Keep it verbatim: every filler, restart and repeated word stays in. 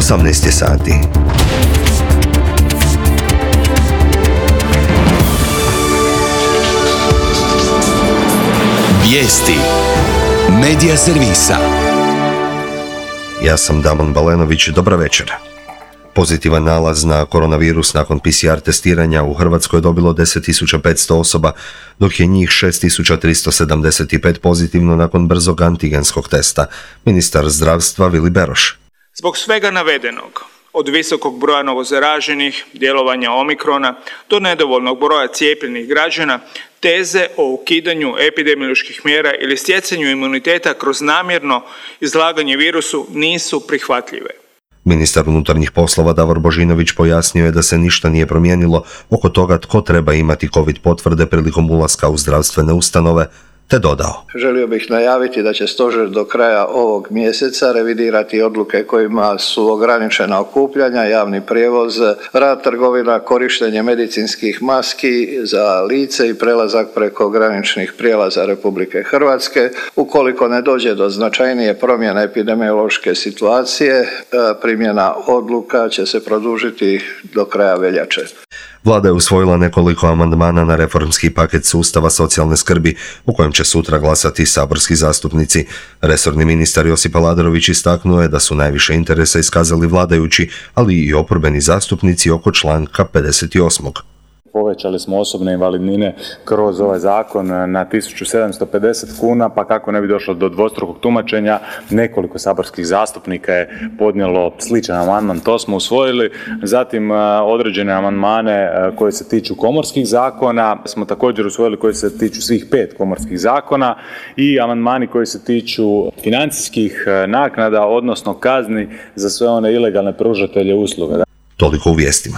osamnaest je sati. Vijesti Medija servisa. Ja sam Damon Balenović, dobra večer. Pozitivan nalaz na koronavirus nakon P C R testiranja u Hrvatskoj je dobilo deset tisuća petsto osoba, dok je njih šest tisuća tristo sedamdeset pet pozitivno nakon brzog antigenskog testa. Ministar zdravstva Vili Beroš. Zbog svega navedenog, od visokog broja novozaraženih, djelovanja omikrona, do nedovoljnog broja cijepljenih građana, teze o ukidanju epidemioloških mjera ili stjecanju imuniteta kroz namjerno izlaganje virusu nisu prihvatljive. Ministar unutarnjih poslova Davor Božinović pojasnio je da se ništa nije promijenilo oko toga tko treba imati COVID potvrde prilikom ulaska u zdravstvene ustanove, te dodao. Želio bih najaviti da će stožer do kraja ovog mjeseca revidirati odluke kojima su ograničena okupljanja, javni prijevoz, rad trgovina, korištenje medicinskih maski za lice i prelazak preko graničnih prijelaza Republike Hrvatske. Ukoliko ne dođe do značajnije promjene epidemiološke situacije, primjena odluka će se produžiti do kraja veljače. Vlada je usvojila nekoliko amandmana na reformski paket sustava socijalne skrbi, u kojem će sutra glasati saborski zastupnici. Resorni ministar Josip Aladrović istaknuo je da su najviše interesa iskazali vladajući, ali i oporbeni zastupnici oko članka pedeset osam. Povećali smo osobne invalidnine kroz ovaj zakon na tisuću sedamsto pedeset kuna, pa kako ne bi došlo do dvostrukog tumačenja, nekoliko saborskih zastupnika je podnijelo sličan amandman, to smo usvojili. Zatim određene amandmane koje se tiču komorskih zakona smo također usvojili, koji se tiču svih pet komorskih zakona, i amandmani koji se tiču financijskih naknada, odnosno kazni za sve one ilegalne pružatelje usluga. Toliko u vijestima.